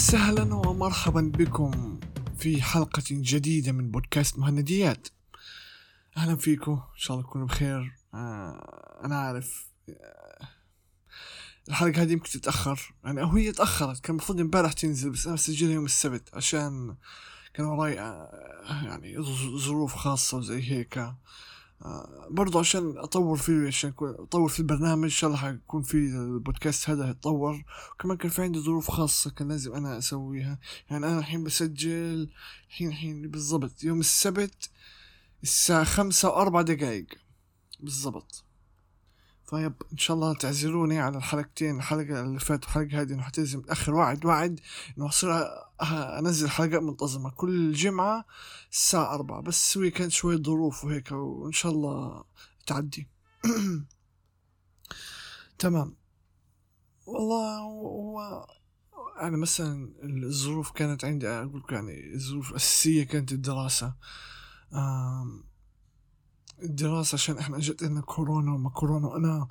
وسهلا ومرحبا بكم في حلقة جديدة من بودكاست مهنديات. أهلا فيكم، إن شاء الله تكونوا بخير. أنا عارف الحلقة هذه يمكن تتأخر، يعني أو هي تأخرت، كان المفروض امبارح تنزل بس أنا سجلها يوم السبت عشان كان وراي يعني ظروف خاصة وزي هيك. برضو عشان أطور فيه، عشان أطور في البرنامج إن شاء الله حيكون في البودكاست هذا يتطور. وكمان كان في عندي ظروف خاصة كان لازم أنا أسويها. يعني أنا الحين بسجل الحين بالضبط يوم السبت الساعة 5:04 بالضبط. طيب إن شاء الله تعذروني على الحلقتين، الحلقة اللي فاتت والحلقة هذه إنه حتلزم أخر وعد إنه أصير أنزل حلقات منتظمة كل جمعة الساعة 4، بس هي كانت شوية ظروف وهيك، وإن شاء الله تعدي. تمام. والله هو يعني مثلا الظروف كانت عندي، أقول يعني الظروف الأساسية كانت الدراسة. الدراسة عشان إحنا جت لنا كورونا وما كورونا،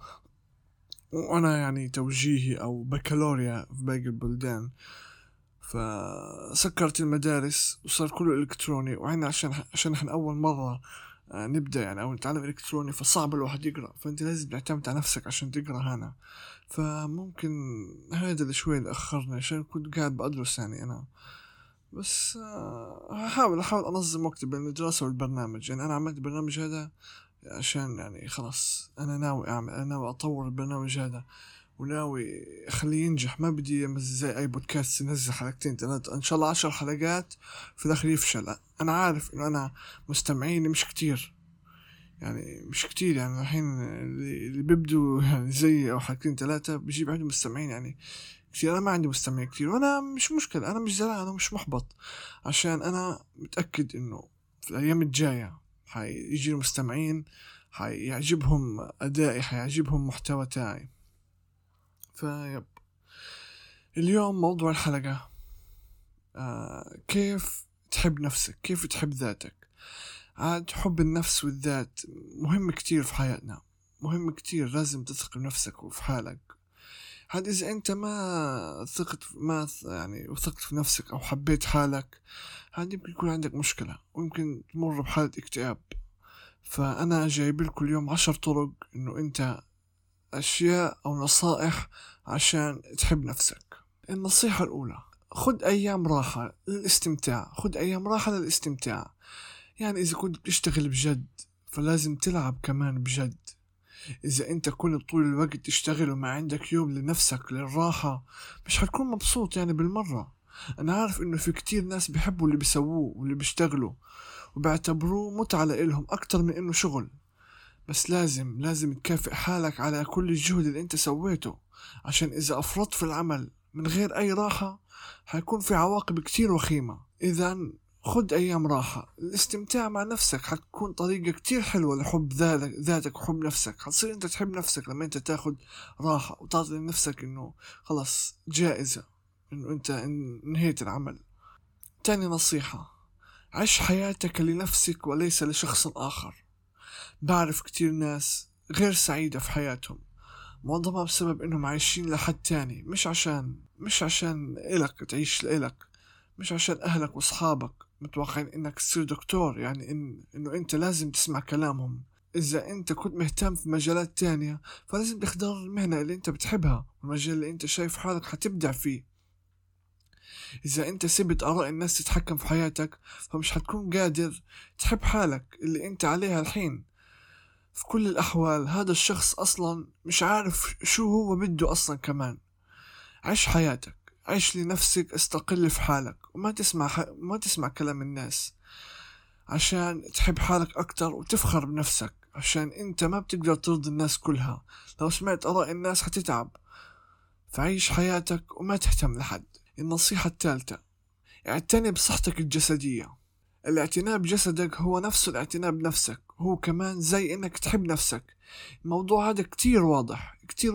وأنا يعني توجيهي أو بكالوريا في باقي البلدان، فسكرت المدارس وصار كله إلكتروني. وعنا عشان إحنا أول مرة نبدأ يعني أو نتعلم إلكتروني، فصعب الواحد يقرأ، فأنت لازم تعتمد على نفسك عشان تقرأ هنا. فممكن هذا اللي شوي اللي أخرني، عشان كنت قاعد بدرس يعني أنا بس. أحاول أنظم وقتي بين الدراسة والبرنامج. يعني أنا عملت البرنامج هذا عشان يعني خلاص أنا ناوي أطور البرنامج هذا وناوي أخليه ينجح. ما بدي زي أي بودكاست ينزل حلقتين 3 إن شاء الله 10 حلقات في الآخر يفشل. أنا عارف إنه أنا مستمعيني مش كتير، يعني مش كتير. يعني الحين اللي بيبدوا يعني زي أو حلقتين 3 بيجيب عندهم مستمعين يعني كتير. أنا ما عندي مستمعين كتير، وأنا مش مشكلة، أنا مش زعلان، أنا مش محبط، عشان أنا متأكد إنه في الأيام الجاية حيجي مستمعين، حيعجبهم أدائي، حيعجبهم محتوى تاعي. فيب اليوم موضوع الحلقة كيف تحب نفسك، كيف تحب ذاتك. عاد حب النفس والذات مهم كتير في حياتنا، مهم كتير. لازم تثق بنفسك وفي حالك. هاد إذا أنت ما وثقت في نفسك أو حبيت حالك، هاد يمكن يكون عندك مشكلة ويمكن تمر بحالة اكتئاب. فأنا جايب لكم اليوم 10 طرق إنه أنت أشياء أو نصائح عشان تحب نفسك. النصيحة الأولى: خد أيام راحة للاستمتاع. يعني إذا كنت بتشتغل بجد فلازم تلعب كمان بجد. إذا أنت كنت طول الوقت تشتغل وما عندك يوم لنفسك للراحة، مش هتكون مبسوط يعني بالمرة. أنا عارف إنه في كتير ناس بيحبوا اللي بيسووه واللي بيشتغلوا وبيعتبروه متعة لإلهم أكتر من إنه شغل، بس لازم تكافئ حالك على كل الجهد اللي أنت سويته، عشان إذا أفرطت في العمل من غير أي راحة هيكون في عواقب كتير وخيمة. إذا خد أيام راحة. الاستمتاع مع نفسك حتكون طريقة كتير حلوة لحب ذاتك وحب نفسك. حتصير أنت تحب نفسك لما أنت تاخد راحة وتعطي لنفسك إنه خلاص جائزة إنه أنت انهيت العمل. تاني نصيحة: عيش حياتك لنفسك وليس لشخص آخر. بعرف كتير ناس غير سعيدة في حياتهم، معظمها بسبب إنهم عايشين لحد تاني، مش عشان إلك تعيش لإلك، مش عشان أهلك وأصحابك متوقعين إنك تصير دكتور، يعني إنه أنت لازم تسمع كلامهم. إذا أنت كنت مهتم في مجالات تانية فلازم تختار المهنة اللي أنت بتحبها والمجال اللي أنت شايف حالك حتبدع فيه. إذا أنت سبت آراء الناس تتحكم في حياتك فمش هتكون قادر تحب حالك اللي أنت عليها الحين. في كل الأحوال هذا الشخص أصلا مش عارف شو هو بده أصلا. كمان عيش حياتك، عيش لنفسك، استقل في حالك وما تسمع كلام الناس، عشان تحب حالك أكتر وتفخر بنفسك، عشان أنت ما بتقدر ترضي الناس كلها. لو سمعت آراء الناس هتتعب. فعيش حياتك وما تهتم لحد. النصيحة الثالثة: اعتني بصحتك الجسدية. الاعتناء بجسدك هو نفسه الاعتناء بنفسك، هو كمان زي انك تحب نفسك. الموضوع هذا كتير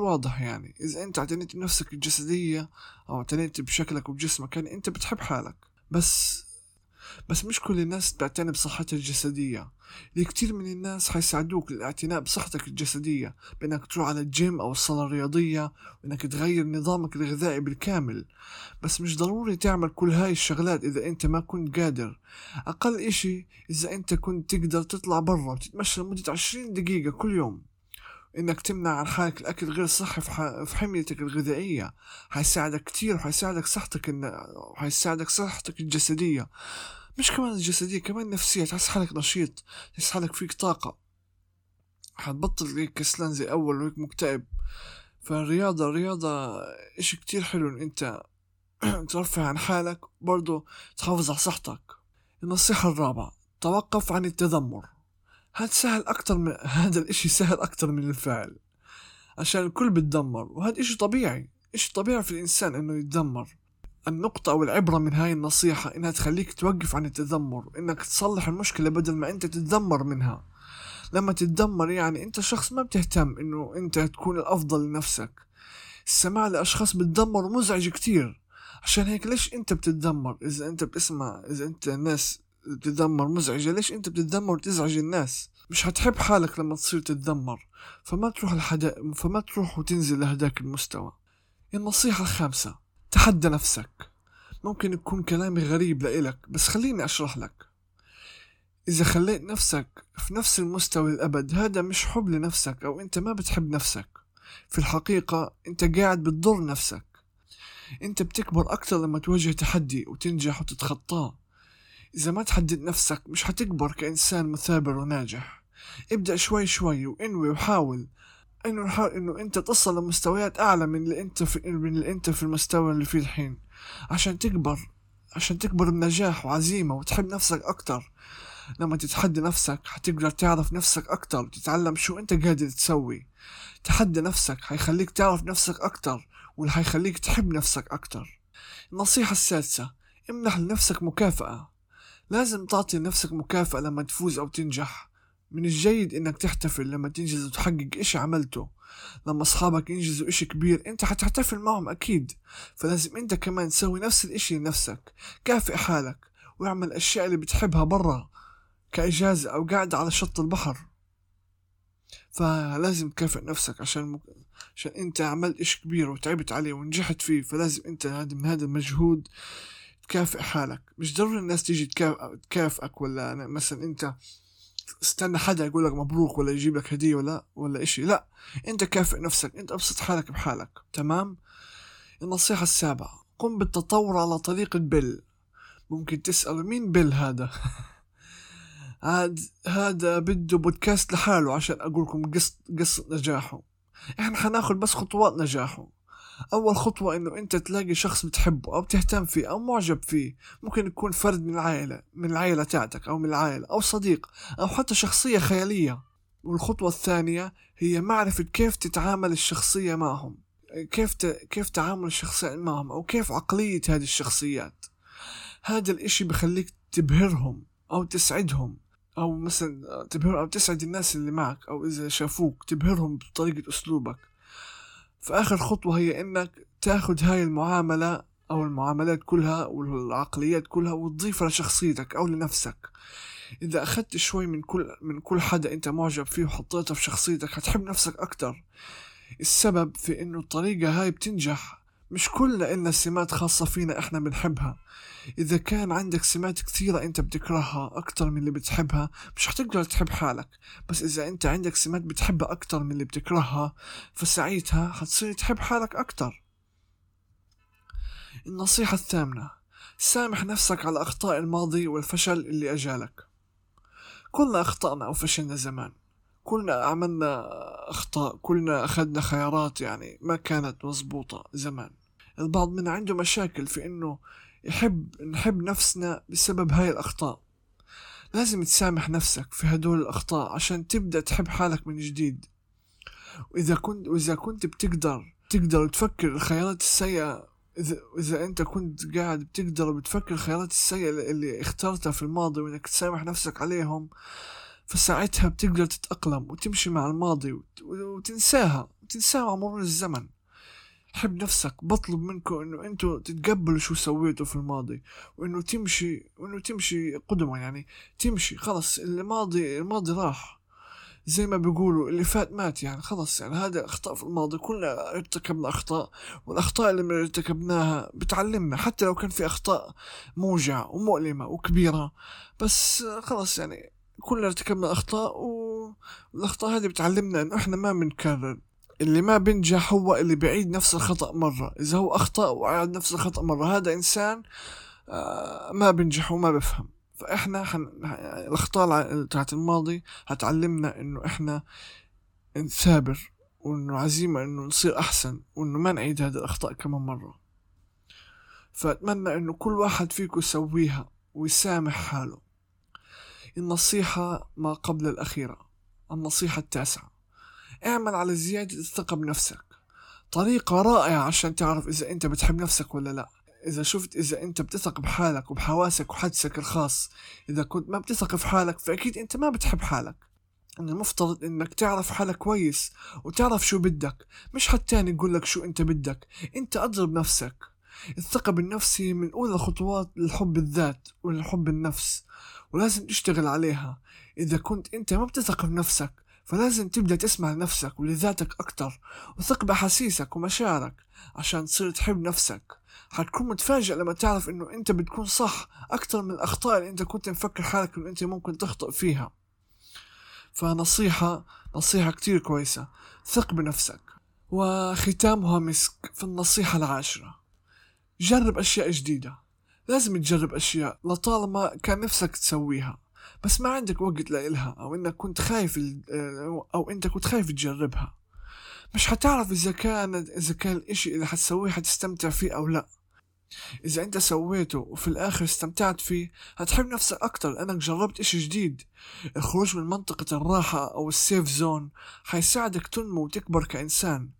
واضح. يعني اذا انت اعتنيت بنفسك الجسدية او اعتنيت بشكلك وبجسمك، يعني انت بتحب حالك. بس بس مش كل الناس بتعتني بصحتها الجسدية. كتير من الناس حيساعدوك للاعتناء بصحتك الجسدية بأنك تروح على الجيم أو الصالة الرياضية، وأنك تغير نظامك الغذائي بالكامل. بس مش ضروري تعمل كل هاي الشغلات إذا أنت ما كنت قادر. أقل إشي إذا أنت كنت تقدر تطلع برا وتتمشى لمدة 20 دقيقة كل يوم، إنك تمنع عن حالك الأكل غير صحي في حميتك الغذائية، حيساعدك كتير، وحيساعدك صحتك الجسدية. مش كمان الجسدية، كمان النفسية. تحس حالك نشيط، تحس حالك فيك طاقة، حتبطل هيك كسلان زي أول وهيك مكتئب. الرياضة إشي كتير حلو إن أنت ترفع عن حالك برضو تحافظ على صحتك. النصيحة الرابعة: توقف عن التذمر. هذا الاشي سهل اكتر من الفعل، عشان الكل بتدمر، وهذا اشي طبيعي في الانسان انه يتذمر. النقطة او العبرة من هاي النصيحة انها تخليك توقف عن التذمر، انك تصلح المشكلة بدل ما انت تتذمر منها. لما تتذمر يعني انت شخص ما بتهتم انه انت تكون الافضل لنفسك. السماع لاشخاص بتدمر مزعج كتير، عشان هيك ليش انت بتتذمر؟ اذا انت الناس بتتذمر مزعجة، ليش انت بتتذمر وتزعج الناس؟ مش هتحب حالك لما تصير تتذمر، فما تروح وتنزل لهداك المستوى. النصيحة الخامسة: تحدى نفسك. ممكن يكون كلامي غريب لإلك، بس خليني أشرح لك. إذا خليت نفسك في نفس المستوى للأبد، هذا مش حب لنفسك، أو أنت ما بتحب نفسك. في الحقيقة أنت قاعد بتضر نفسك. أنت بتكبر أكتر لما تواجه تحدي وتنجح وتتخطاه. إذا ما تحدد نفسك مش هتكبر كإنسان مثابر وناجح. ابدأ شوي شوي وانوي وحاول إنه أنت تصل لمستويات أعلى من اللي أنت في المستوى اللي فيه الحين، عشان تكبر بنجاح وعزيمة وتحب نفسك أكتر. لما تتحدى نفسك هتقدر تعرف نفسك أكتر وتتعلم شو أنت قادر تسوي. تحدى نفسك هيخليك تعرف نفسك أكتر، واللي هيخليك تحب نفسك أكتر. النصيحة السادسة: امنح لنفسك مكافأة. لازم تعطي لنفسك مكافأة لما تفوز أو تنجح. من الجيد إنك تحتفل لما تنجز وتحقق إشي عملته. لما أصحابك ينجزوا إشي كبير أنت حتحتفل معهم أكيد، فلازم أنت كمان تسوي نفس الإشي لنفسك. كافئ حالك واعمل الأشياء اللي بتحبها برا كإجازة أو قاعدة على شط البحر. فلازم تكافئ نفسك عشان أنت عملت إشي كبير وتعبت عليه ونجحت فيه، فلازم أنت من هذا المجهود تكافئ حالك. مش ضروري الناس تيجي تكافئك، ولا مثلا انت استنى حدا يقول لك مبروك ولا يجيب لك هدية ولا اشي. لا، انت كافئ نفسك، انت ابسط حالك بحالك. تمام. النصيحة السابعة: قم بالتطور على طريقة بيل. ممكن تسأل مين بيل هذا؟ هذا بده بودكاست لحاله عشان اقولكم قصة نجاحه. احنا حناخد بس خطوات نجاحه. أول خطوة إنه أنت تلاقي شخص بتحبه أو بتهتم فيه أو معجب فيه. ممكن يكون فرد من العائلة تاعتك، أو من العائلة، أو صديق، أو حتى شخصية خيالية. والخطوة الثانية هي معرفة كيف تتعامل الشخصية معهم، كيف تعامل الشخصية معهم، أو كيف عقلية هذه الشخصيات. هذا الإشي بخليك تبهرهم أو تسعدهم، أو مثلا تبهر أو تسعد الناس اللي معك، أو إذا شافوك تبهرهم بطريقة أسلوبك. فآخر خطوة هي إنك تاخد هاي المعاملة أو المعاملات كلها والعقليات كلها وتضيفها لشخصيتك أو لنفسك. إذا أخدت شوي من كل حدا أنت معجب فيه وحطيته في شخصيتك هتحب نفسك أكتر. السبب في إنه الطريقة هاي بتنجح. مش كلنا إلنا سمات خاصة فينا إحنا بنحبها. إذا كان عندك سمات كثيرة أنت بتكرهها أكتر من اللي بتحبها مش هتقدر تحب حالك. بس إذا أنت عندك سمات بتحبها أكتر من اللي بتكرهها فساعتها هتصير تحب حالك أكتر. النصيحة الثامنة: سامح نفسك على أخطاء الماضي والفشل اللي أجالك. كلنا أخطأنا أو فشلنا زمان، كلنا عملنا أخطاء، كلنا أخذنا خيارات يعني ما كانت مزبوطة زمان. البعض منا عنده مشاكل في إنه نحب نفسنا بسبب هاي الأخطاء. لازم تسامح نفسك في هدول الأخطاء عشان تبدأ تحب حالك من جديد. وإذا كنت تقدر تفكر الخيارات السيئة، إذا أنت كنت قاعد بتفكر الخيارات السيئة اللي اخترتها في الماضي وإنك تسامح نفسك عليهم، فساعتها بتقدر تتأقلم وتمشي مع الماضي وتنساها مع مرور الزمن. حب نفسك. بطلب منكم انه انتو تتقبلوا شو سويتوا في الماضي، وانه تمشي قدما، يعني تمشي خلص. الماضي راح، زي ما بيقولوا اللي فات مات. يعني خلص، يعني هذا اخطاء في الماضي، كلنا ارتكبنا اخطاء، والاخطاء اللي ارتكبناها بتعلمنا، حتى لو كان في اخطاء موجعة ومؤلمة وكبيرة، بس خلص يعني كلنا ارتكبنا اخطاء، والاخطاء هذه بتعلمنا انه احنا ما بنكرر. اللي ما بنجح هو اللي بيعيد نفس الخطأ مرة. اذا هو اخطأ وعاد نفس الخطأ مرة، هذا انسان ما بنجح وما بفهم. فاحنا الاخطاء تاعت الماضي هتعلمنا انه احنا نثابر، وانه عزيمة انه نصير احسن، وانه ما نعيد هذه الاخطاء كمان مرة. فاتمنى انه كل واحد فيكم يسويها ويسامح حاله. النصيحة ما قبل الاخيرة، النصيحة التاسعة: اعمل على زيادة الثقة بنفسك. طريقة رائعة عشان تعرف اذا انت بتحب نفسك ولا لا. إذا أنت بتثق بحالك وبحواسك وحدسك الخاص. إذا كنت ما بتثق في حالك، فأكيد أنت ما بتحب حالك. إن المفترض إنك تعرف حالك كويس، وتعرف شو بدك، مش حتى يقولك شو أنت بدك. أنت أضرب نفسك. الثقة بالنفس هي من أولى الخطوات للحب الذات وللحب النفس، ولازم تشتغل عليها. إذا كنت أنت ما بتثق بنفسك، فلازم تبدأ تسمع لنفسك ولذاتك أكتر، وثق بحسيسك ومشاعرك عشان تصير تحب نفسك. حتكون متفاجئ لما تعرف انه انت بتكون صح اكتر من الاخطاء اللي انت كنت مفكر حالك انه انت ممكن تخطئ فيها. نصيحة كتير كويسة: ثق بنفسك. وختامها مسك في النصيحة العاشرة: جرب اشياء جديدة. لازم تجرب اشياء لطالما كان نفسك تسويها، بس ما عندك وقت لإلها، او انك كنت خايف او انت كنت خايف تجربها. مش حتعرف اذا كان الاشي اللي حتسويه حتستمتع فيه او لا. إذا أنت سويته وفي الآخر استمتعت فيه، هتحب نفسك أكتر لأنك جربت إشي جديد. الخروج من منطقة الراحة أو السيف زون حيساعدك تنمو وتكبر كإنسان.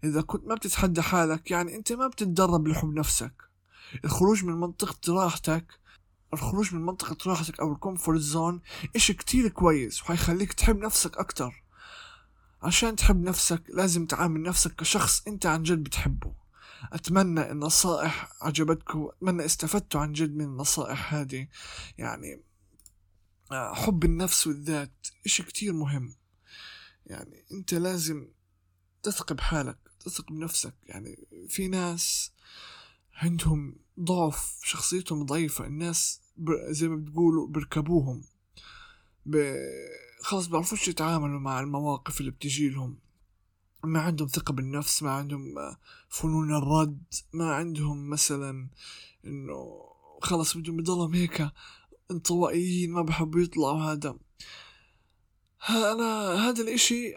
إذا كنت ما بتتحدى حالك، يعني أنت ما بتتدرب لحب نفسك. الخروج من منطقة راحتك أو الكومفورت زون إشي كتير كويس، وحيخليك تحب نفسك أكتر. عشان تحب نفسك لازم تعامل نفسك كشخص أنت عن جد بتحبه. أتمنى النصائح عجبتكم، أتمنى استفدتوا عن جد من النصائح هذه. يعني حب النفس والذات إشي كتير مهم. يعني أنت لازم تثق بحالك، تثق بنفسك. يعني في ناس عندهم ضعف، شخصيتهم ضعيفة. الناس زي ما بتقولوا بركبوهم، خلاص بعرفوش يتعاملوا مع المواقف اللي بتجي لهم. ما عندهم ثقة بالنفس، ما عندهم فنون الرد، ما عندهم مثلا انه خلص بدهم يضلهم هيك انطوائيين، ما بحبوا يطلعوا. هذا الاشي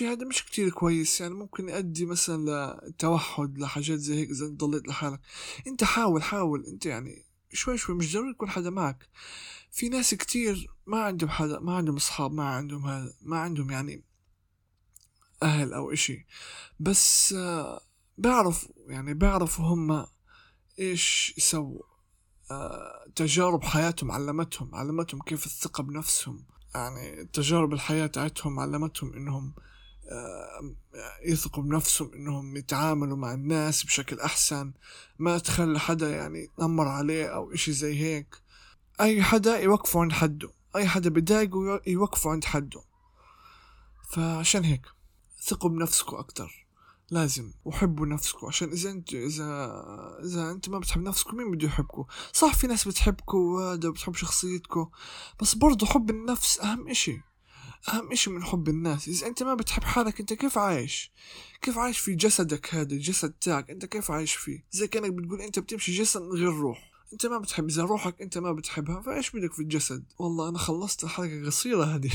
هذا مش كتير كويس. يعني ممكن يؤدي مثلا لتوحد، لحاجات زي هيك. اذا انت ضليت لحالك، انت حاول انت يعني شوي مش ضروري يكون حدا معك. في ناس كتير ما عندهم حدا، ما عندهم اصحاب، ما عندهم يعني أهل أو إشي، بس بيعرفوا هم إيش يسووا. تجارب حياتهم علمتهم كيف الثقة بنفسهم. يعني تجارب الحياة تاعتهم علمتهم إنهم يثقوا بنفسهم، إنهم يتعاملوا مع الناس بشكل أحسن، ما تخلي حدا يعني يتنمر عليه أو إشي زي هيك. أي حدا يوقفوا عند حده، أي حدا بيضايقوا يوقفوا عند حده. فعشان هيك ثقوا بنفسكم أكتر، لازم، وحبوا نفسكم. عشان إذا أنت ما بتحب نفسكم، مين بده يحبكم؟ صح، في ناس بتحبكم وهذا بتحب شخصيتكم، بس برضو حب النفس أهم إشي من حب الناس. إذا أنت ما بتحب حالك، أنت كيف عايش في جسدك هذا، الجسد تاعك أنت كيف عايش فيه؟ زي كأنك بتقول أنت بتمشي جسد من غير روح. أنت ما بتحب، إذا روحك أنت ما بتحبها، فإيش بدك في الجسد؟ والله أنا خلصت الحلقة قصيرة هذه.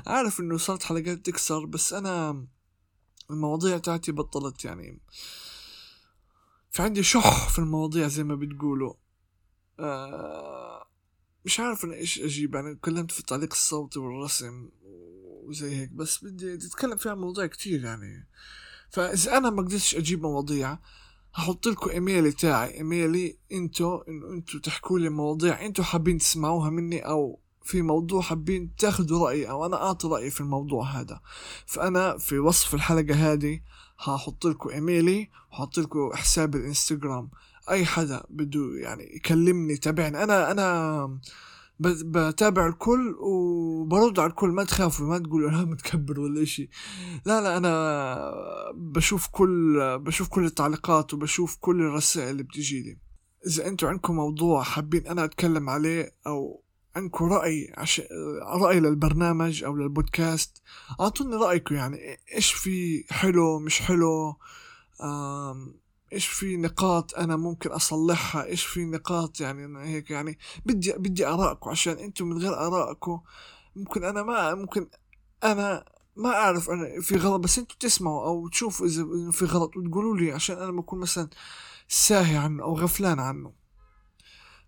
عارف إنه صارت حلقات تكسر، بس أنا المواضيع تاعتي بطلت، يعني في عندي شح في المواضيع زي ما بتقولوا. مش عارف أنا إيش أجيب. يعني تكلمت في التعليق الصوتي والرسم وزي هيك، بس بدي أتكلم فيها مواضيع كتير يعني. فإذا أنا ما قدرتش أجيب مواضيع، هحط لكم إيميلي تاعي، إيميلي إنتو تحكوا لي مواضيع إنتو حابين تسمعوها مني، أو في موضوع حابين تاخدوا رأيي، أو أنا أعطي رأيي في الموضوع هذا. فأنا في وصف الحلقة هذه هحط لكم إيميلي وحط لكم حساب الإنستغرام. أي حدا بده يعني يكلمني تابعني، أنا بتابع الكل وبرد على الكل. ما تخافوا، ما تقولوا أنا متكبر ولا إشي. لا أنا بشوف كل التعليقات وبشوف كل الرسائل اللي بتجيلي. إذا أنتوا عندكم موضوع حابين أنا أتكلم عليه أو عندكم رأي للبرنامج أو للبودكاست، أعطوني رأيكم. يعني إيش في حلو مش حلو، إيش في نقاط أنا ممكن أصلحها، إيش في نقاط يعني هيك. يعني بدي آرائكم، عشان أنتم من غير آرائكم ممكن أنا ما أعرف أنا في غلط، بس أنتوا تسمعوا أو تشوفوا إذا في غلط وتقولوا لي، عشان أنا بكون مثلا ساهي عنه أو غفلان عنه.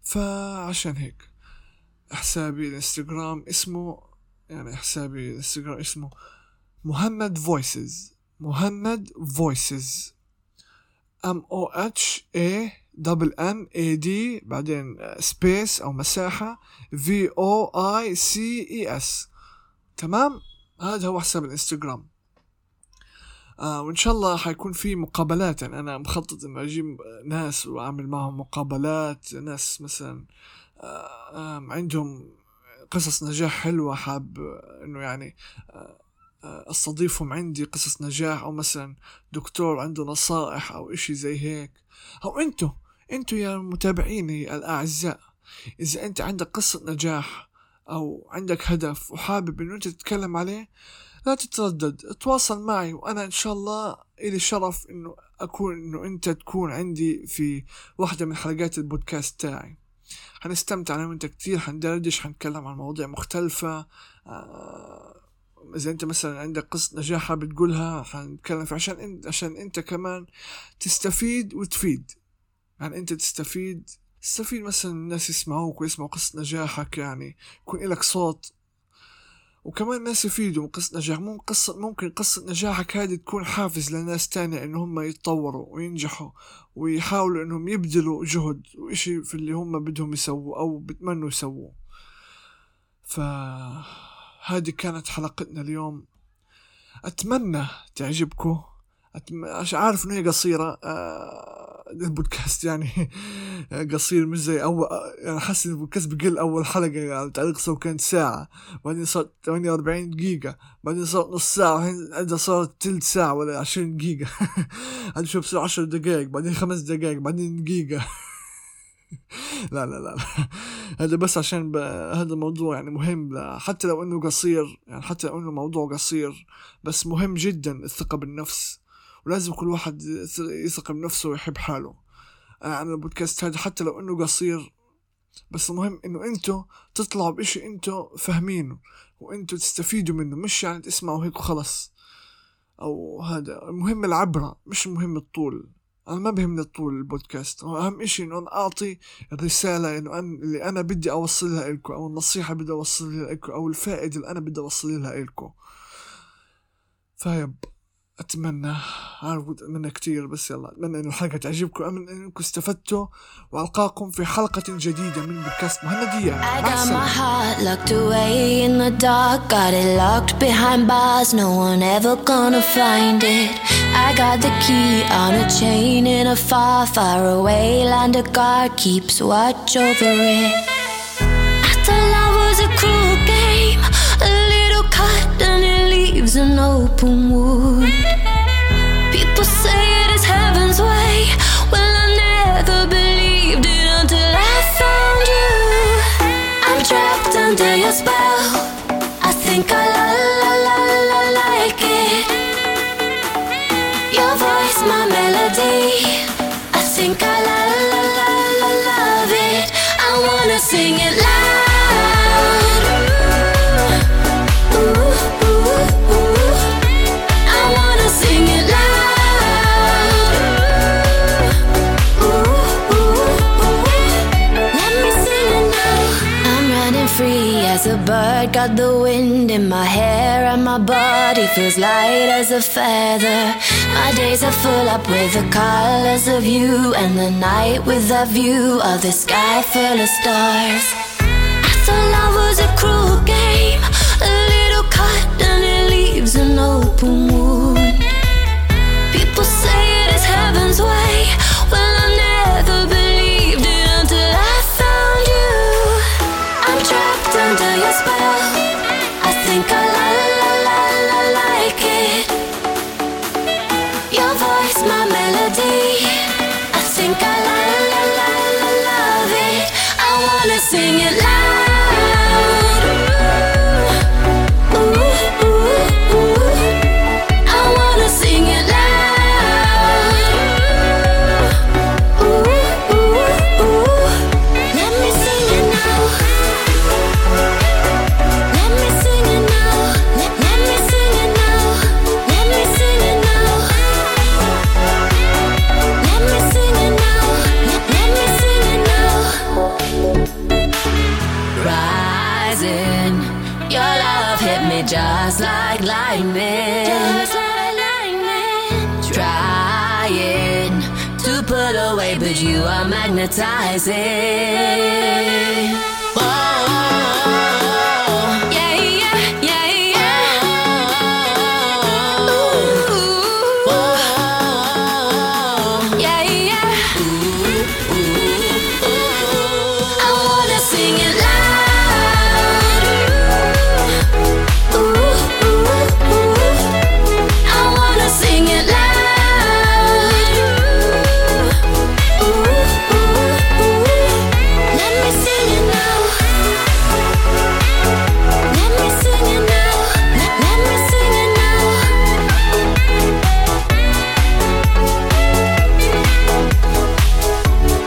فعشان هيك حسابي الانستغرام اسمه مهند فويسز. MOHANNAD بعدين سبيس أو مساحة VOICES. تمام، هذا هو حساب الانستغرام. وإن شاء الله حيكون في مقابلات. يعني أنا مخطط إنه أجيب ناس وأعمل معهم مقابلات، ناس مثلا عندهم قصص نجاح حلوة، حاب إنه يعني استضيفهم عندي قصص نجاح، أو مثلا دكتور عنده نصائح أو إشي زي هيك. أو أنتوا يا متابعيني الأعزاء، إذا أنت عندك قصة نجاح أو عندك هدف وحابب إنه أنت تتكلم عليه، لا تتردد، تواصل معي، وأنا إن شاء الله إلي شرف إنه أنت تكون عندي في واحدة من حلقات البودكاست تاعي. حنستمتع أنا وأنت كتير، حندردش، حنتكلم عن مواضيع مختلفة. إذا أنت مثلا عندك قصة نجاح حابب تقولها، حنتكلم فيها عشان أنت كمان تستفيد وتفيد. يعني أنت تستفيد مثلا الناس يسمعوك ويسمعوا قصة نجاحك، يعني يكون لك صوت، وكمان الناس يفيدوا من قصة نجاح. ممكن قصة نجاحك هذه تكون حافز لناس تانية إنهم يتطوروا وينجحوا ويحاولوا إنهم يبذلوا جهد وإشي في اللي هم بدهم يسووا أو بتمنوا يسووه. فهذه كانت حلقتنا اليوم، أتمنى تعجبكم. عارف إنه هي قصيرة، البودكاست يعني قصير، مش زي أول. يعني حاسس إن البودكاست بقل أول حلقة، يعني تعليق سو كانت ساعة، بعدين صارت 48 دقيقة، بعدين صارت نص ساعة، هذا صارت تلت ساعة ولا 20 دقيقة. هذا شو بصير 10 دقائق، بعدين 5 دقائق، بعدين دقيقة. لا هذا بس عشان هذا الموضوع يعني مهم، حتى لو إنه قصير، يعني حتى لو إنه موضوع قصير، بس مهم جدا الثقة بالنفس، ولازم كل واحد يثق بنفسه ويحب حاله. أنا البودكاست هذا حتى لو إنه قصير، بس مهم إنه أنتوا تطلعوا بإشي أنتوا فاهمينه وأنتوا تستفيدوا منه، مش يعني تسمعوا هيك وخلص. أو هذا مهم العبرة، مش مهم الطول. أنا ما بهمني الطول البودكاست، أهم إشي إنه أنا أعطي الرسالة اللي أنا بدي أوصلها لكم، أو النصيحة بدي أوصلها لكم، أو الفائدة اللي أنا بدي أوصلها لكم. أتمنى كتير، بس يلا أتمنى إنه الحلقة تعجبكم، أمن إنكم استفدتوا، وألقاكم في حلقة جديدة من بودكاست مهندية. I got my heart locked away in the dark, got it locked behind bars, no one ever gonna find it. I got the key on a chain in a far, far away land, a guard keeps watch over it. I thought love was a cruel game, a little cut and it leaves an open wound. People say it is heaven's way, well I never believed it until I found you. I'm trapped under your spell, I think I like it. Your voice, my melody, I think I love it. I wanna sing it loud. Ooh, ooh, ooh. I wanna sing it loud. Ooh, ooh, ooh. Let me sing it now. I'm running free as a bird, got the wind in my hair and my body feels light as a feather. My days are full up with the colors of you, and the night with a view of the sky full of stars. I thought love was a cruel game, a little cut and it leaves an open wound. this way. Well, I never believed it until I found you. I'm trapped under your spell. I think I like it. Your voice, my melody. I think I love it. I wanna sing it loud. Ooh, ooh, ooh. I wanna sing it loud. Ooh, ooh, ooh. Let me sing it now. Let me sing it now. Let me sing it now. Let me sing it now. Let me sing it now. Let me sing it now. Rising, your love hit me just like lightning. Just like lightning. Trying to pull away, but you are magnetizing. Whoa, yeah, yeah, yeah, yeah. Ooh, whoa, yeah, yeah. Ooh, ooh, ooh. I wanna sing it loud. Ooh, ooh, ooh. I wanna sing it loud. Ooh, ooh, ooh. Let me sing it now. Let me sing it now. Let me sing it now.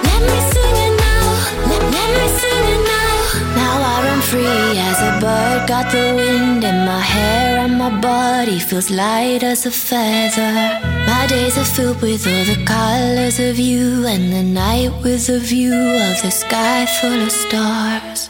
Let me sing it now. Let me sing it now. Now I run free as a bird. Got the wind in my hair and my body feels light as a feather. My days are filled with all the colors of you, and the night with a view of the sky full of stars.